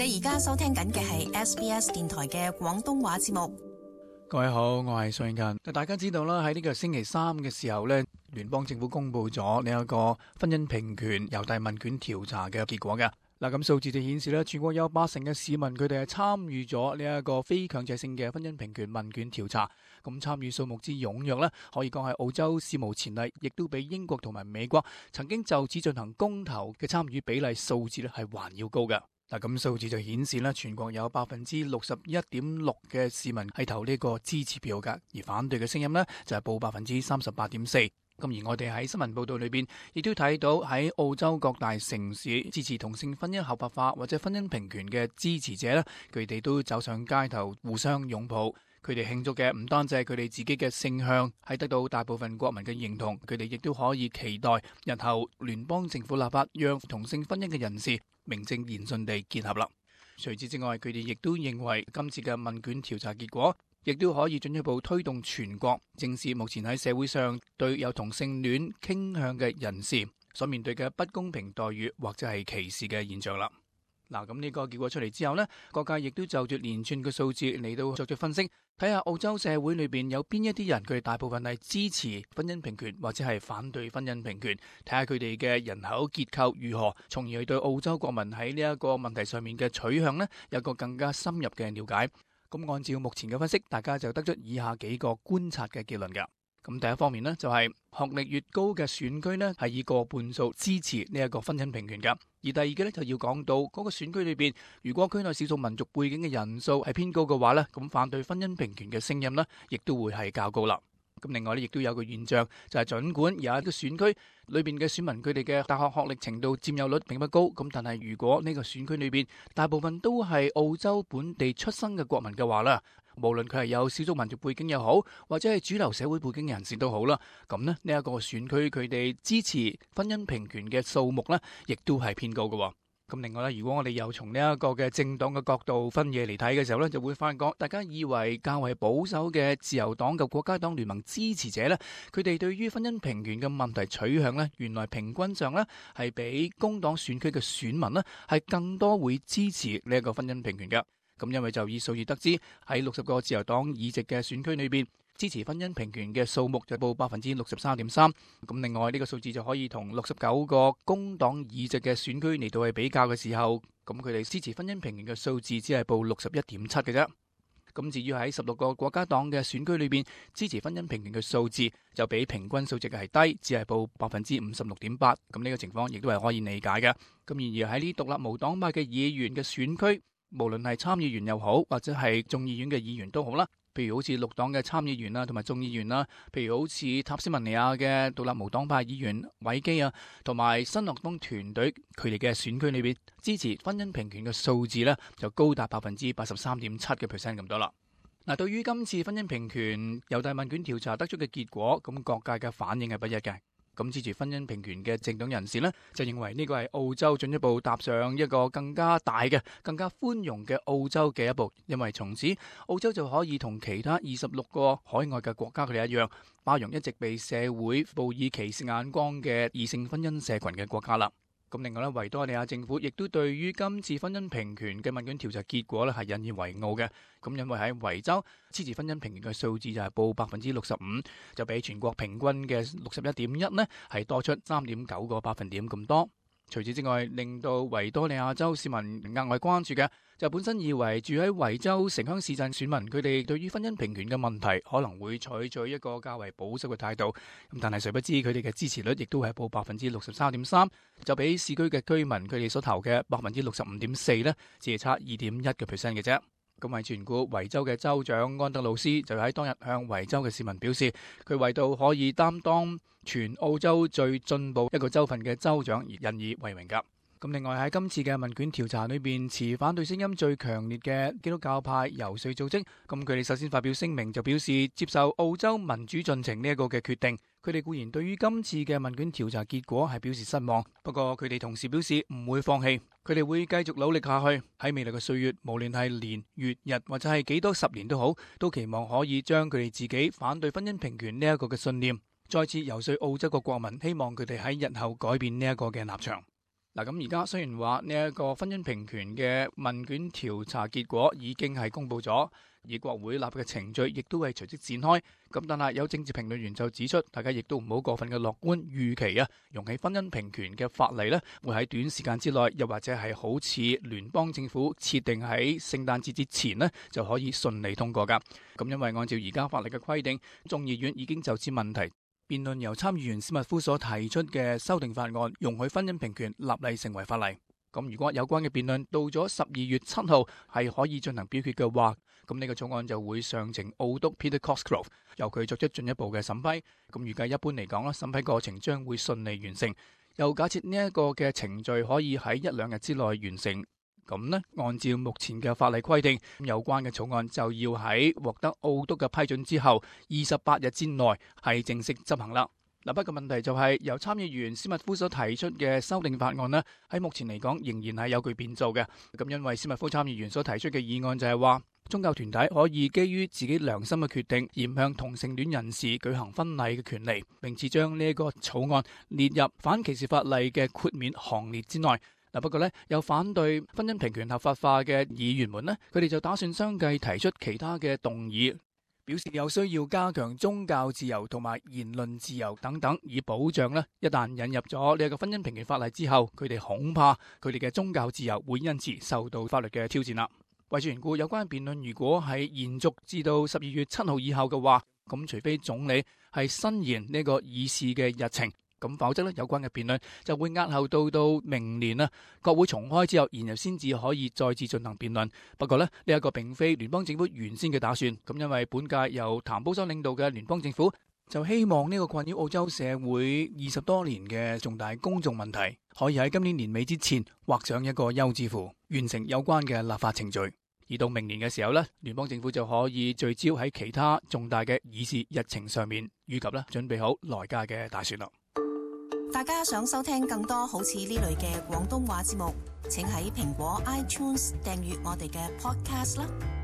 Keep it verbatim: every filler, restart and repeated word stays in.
你而家收聽緊嘅係 S B S 電台嘅廣東話節目。各位好，我係宋慶勤。大家知道啦，喺呢個星期三嘅時候呢，聯邦政府公布咗呢一個婚姻平權郵遞問卷調查嘅結果嘅。嗱，咁數字就顯示咧，全國有八成嘅市民佢哋係參與咗呢一個非強制性嘅婚姻平權問卷調查。咁參與數目之踴躍呢，可以講係澳洲史無前例，亦都比英國同埋美國曾經就此進行公投嘅參與比例數字咧係還要高嘅。嗱，咁數字就顯示咧，全國有百分之六十一點六嘅市民係投呢個支持票㗎，而反對嘅聲音呢，就係報百分之三十八點四。咁而我哋喺新聞報道裏邊，亦都睇到喺澳洲各大城市支持同性婚姻合法化或者婚姻平權嘅支持者呢，佢哋都走上街頭互相擁抱。佢哋慶祝嘅唔單止係佢哋自己嘅性向係得到大部分國民嘅認同，佢哋亦都可以期待日後聯邦政府立法讓同性婚姻嘅人士名正言順地結合啦。除此之外，佢哋亦都認為今次嘅問卷調查結果亦都可以進一步推動全國正視目前喺社會上對有同性戀傾向嘅人士所面對嘅不公平待遇或者係歧視嘅現象啦。嗱，咁呢個結果出嚟之後呢，各界亦都就住連串嘅數字嚟到作出分析，睇下澳洲社會裏邊有邊一啲人佢哋大部分係支持婚姻平權或者係反對婚姻平權，睇下佢哋嘅人口結構如何，從而去對澳洲國民喺呢一個問題上面嘅取向呢，有個更加深入嘅了解。咁按照目前嘅分析，大家就得出以下幾個觀察嘅結論㗎。咁第一方面呢，就係學歷越高嘅選區呢，係以過半數支持呢一個婚姻平權㗎。而第二個呢，就要講到嗰個選區裏邊，如果區內少數民族背景嘅人數係偏高嘅話呢，咁反對婚姻平權嘅聲音呢，亦都會係較高啦。咁另外呢，亦都有個現象，就係儘管有一個選區裏邊嘅選民佢哋嘅大學學歷程度佔有率並不高，咁但係如果呢個選區裏邊大部分都係澳洲本地出生嘅國民嘅話啦，無論佢係有少數民族背景又好，或者係主流社會背景嘅人士都好啦，咁呢呢一個選區佢哋支持婚姻平權嘅數目呢，亦都係偏高嘅。咁另外咧，如果我哋又從呢一個嘅政黨嘅角度分野嚟睇嘅時候呢，就會發覺大家以為較為保守嘅自由黨及國家黨聯盟支持者呢，佢哋對於婚姻平權嘅問題取向呢，原來平均上呢係比工黨選區嘅選民呢係更多會支持呢一個婚姻平權嘅。咁因為就以數字得知，喺六十個自由黨議席嘅選區裏邊，支持婚姻平權嘅數目就報百分之六十三點三。咁另外呢個數字就可以同六十九個工黨議席嘅選區嚟到去比較嘅時候，咁佢哋支持婚姻平權嘅數字只係報六十一點七嘅啫。咁至於喺十六個國家黨嘅選區裏邊，支持婚姻平權嘅數字就比平均數值係低，只係報百分之五十六點八。咁呢個情況亦都係可以理解嘅。咁然而喺呢獨立無黨派嘅議員嘅選區，無論係參議員又好，或者係眾議院嘅議員都好啦，譬如好似綠黨嘅參議員啦，同埋眾議員啦，譬如好似塔斯曼尼亞嘅獨立無黨派議員韋基啊，同埋新樂邦團隊佢哋嘅選區裏邊支持婚姻平權嘅數字呢，就高達百分之八十三點七嘅 percent 咁多啦。嗱，對於今次婚姻平權郵遞問卷調查得出嘅結果，咁各界嘅反應係不一嘅。咁支持婚姻平權嘅政黨人士呢，就認為呢個係澳洲進一步踏上一個更加大嘅、更加寬容嘅澳洲嘅一步，因為從此澳洲就可以同其他二十六個海外嘅國家佢哋一樣，包容一直被社會報以歧視眼光嘅異性婚姻社群嘅國家啦。咁另外咧，維多利亞政府亦都對於今次婚姻平權嘅問卷調查結果咧係引以為傲嘅。咁因為喺維州支持婚姻平權嘅數字就係報百分之六十五，就比全國平均嘅六十一點一呢係多出三點九個百分點咁多。除此之外，令到維多利亞州市民額外關注嘅就本身以為住喺維州城鄉市鎮選民佢哋對於婚姻平權嘅問題可能會採取一個較為保守嘅態度，咁但係誰不知佢哋嘅支持率亦都係報百分之六十三點三，就比市區嘅居民佢哋所投嘅百分之六十五點四呢，只係差二點一個 percent 嘅啫。咁為全顧維州嘅州長安德魯斯就喺當日向維州嘅市民表示，佢為到可以擔當全澳洲最進步一個州份嘅州長而引以為榮㗎。咁另外喺今次嘅問卷調查裏邊，持反對聲音最強烈嘅基督教派遊說組織，咁佢哋首先發表聲明，就表示接受澳洲民主進程呢一個嘅決定。佢哋固然對於今次嘅問卷調查結果係表示失望，不過佢哋同時表示唔會放棄，佢哋會繼續努力下去。喺未來嘅歲月，無論係年、月、日或者係幾多十年都好，都期望可以將佢哋自己反對婚姻平權呢一個嘅信念，再次遊說澳洲嘅國民，希望佢哋喺日後改變呢一個嘅立場。嗱，咁而家雖然話呢一個婚姻平權嘅問卷調查結果已經係公布咗，而國會立嘅程序亦都係隨即展開。咁但係有政治評論員就指出，大家亦都唔好過分嘅樂觀預期啊，容許婚姻平權嘅法例呢會喺短時間之內，又或者係好似聯邦政府設定喺聖誕節之前呢就可以順利通過㗎。咁因為按照而家法例嘅規定，眾議院已經就此問題辯論由參議員史密夫所提出嘅修訂法案，容許婚姻平權立例成為法例。咁如果有關嘅辯論到咗十二月七號係可以進行表決嘅話，咁呢個草案就會上呈澳督 Peter Cosgrove， 由佢作出進一步嘅審批。咁預計一般嚟講啦，審批過程將會順利完成。又假設呢一個嘅程序可以喺一兩日之內完成。咁呢，按照目前嘅法例規定，有關嘅草案就要喺獲得澳督嘅批准之後二十八日之內係正式執行啦。嗱，不過問題就係由參議員史密夫所提出嘅修訂法案呢，喺目前嚟講仍然係有具變數嘅。咁因為史密夫參議員所提出嘅議案就係話，宗教團體可以基於自己良心嘅決定，而向同性戀人士舉行婚禮嘅權利，並且將呢一個草案列入反歧視法例嘅豁免行列之內。嗱，不過咧，有反對婚姻平權合法化嘅議員們呢，佢哋就打算相繼提出其他嘅動議，表示有需要加強宗教自由同埋言論自由等等，以保障呢一旦引入咗呢個婚姻平權法例之後，佢哋恐怕佢哋嘅宗教自由會因此受到法律嘅挑戰啦。為咗緣故，有關辯論如果係延續至到十二月七號以後嘅話，咁除非總理係伸延呢個議事嘅日程。咁否則咧，有關嘅辯論就會押後到到明年啊，國會重開之後，然後先至可以再次進行辯論。不過咧，呢一個並非聯邦政府原先嘅打算。咁因為本屆由譚布森領導嘅聯邦政府就希望呢個困擾澳洲社會二十多年嘅重大公眾問題，可以喺今年年尾之前畫上一個休止符，完成有關嘅立法程序。而到明年嘅時候咧，聯邦政府就可以聚焦喺其他重大嘅議事日程上面，以及咧準備好來屆嘅大選啦。大家想收聽更多好似呢類嘅廣東話節目，請喺蘋果 iTunes 訂閱我哋嘅 podcast 啦。